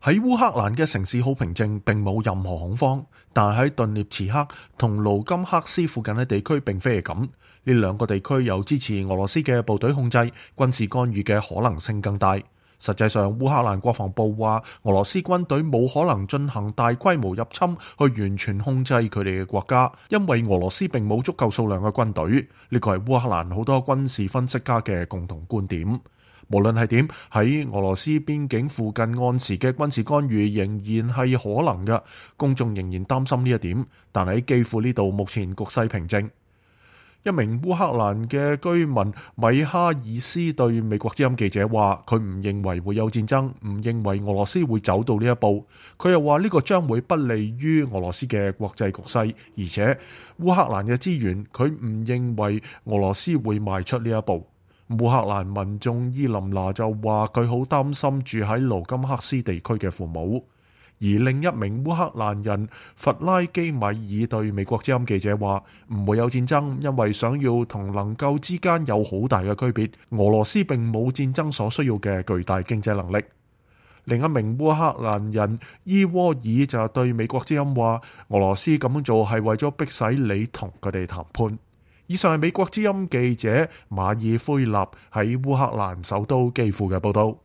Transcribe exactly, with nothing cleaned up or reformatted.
喺烏克蘭嘅城市好平靜，並冇任何恐慌，但喺頓涅茨克同盧甘克斯附近嘅地區並非係咁。呢兩個地區有支持俄羅斯嘅部隊控制，軍事干預嘅可能性更大。實際上，烏克蘭國防部話，俄羅斯軍隊冇可能進行大規模入侵去完全控制佢哋嘅國家，因為俄羅斯並冇足夠數量嘅軍隊。呢個係烏克蘭好多軍事分析家嘅共同觀點。無論係點，喺俄羅斯邊境附近按時嘅軍事干預仍然係可能嘅，公眾仍然擔心呢一點。但喺基輔呢度，目前局勢平靜。一名烏克蘭嘅居民米哈爾斯對美國之音記者話，佢唔認為會有戰爭，唔認為俄羅斯會走到呢一步。佢又話呢個將會不利於俄羅斯嘅國際局勢，而且烏克蘭嘅資源，佢唔認為俄羅斯會邁出呢一步。烏克蘭民眾伊琳娜就話佢好擔心住喺盧甘克斯地區嘅父母，而另一名烏克蘭人弗拉基米爾對美國之音記者話唔會有戰爭，因為想要同能夠之間有好大嘅區別。俄羅斯並冇戰爭所需要嘅巨大經濟能力。另一名烏克蘭人伊沃爾就對美國之音話，俄羅斯咁樣做係為咗迫使你同佢哋談判。以上係美國之音記者馬爾菲納喺烏克蘭首都基輔嘅報道。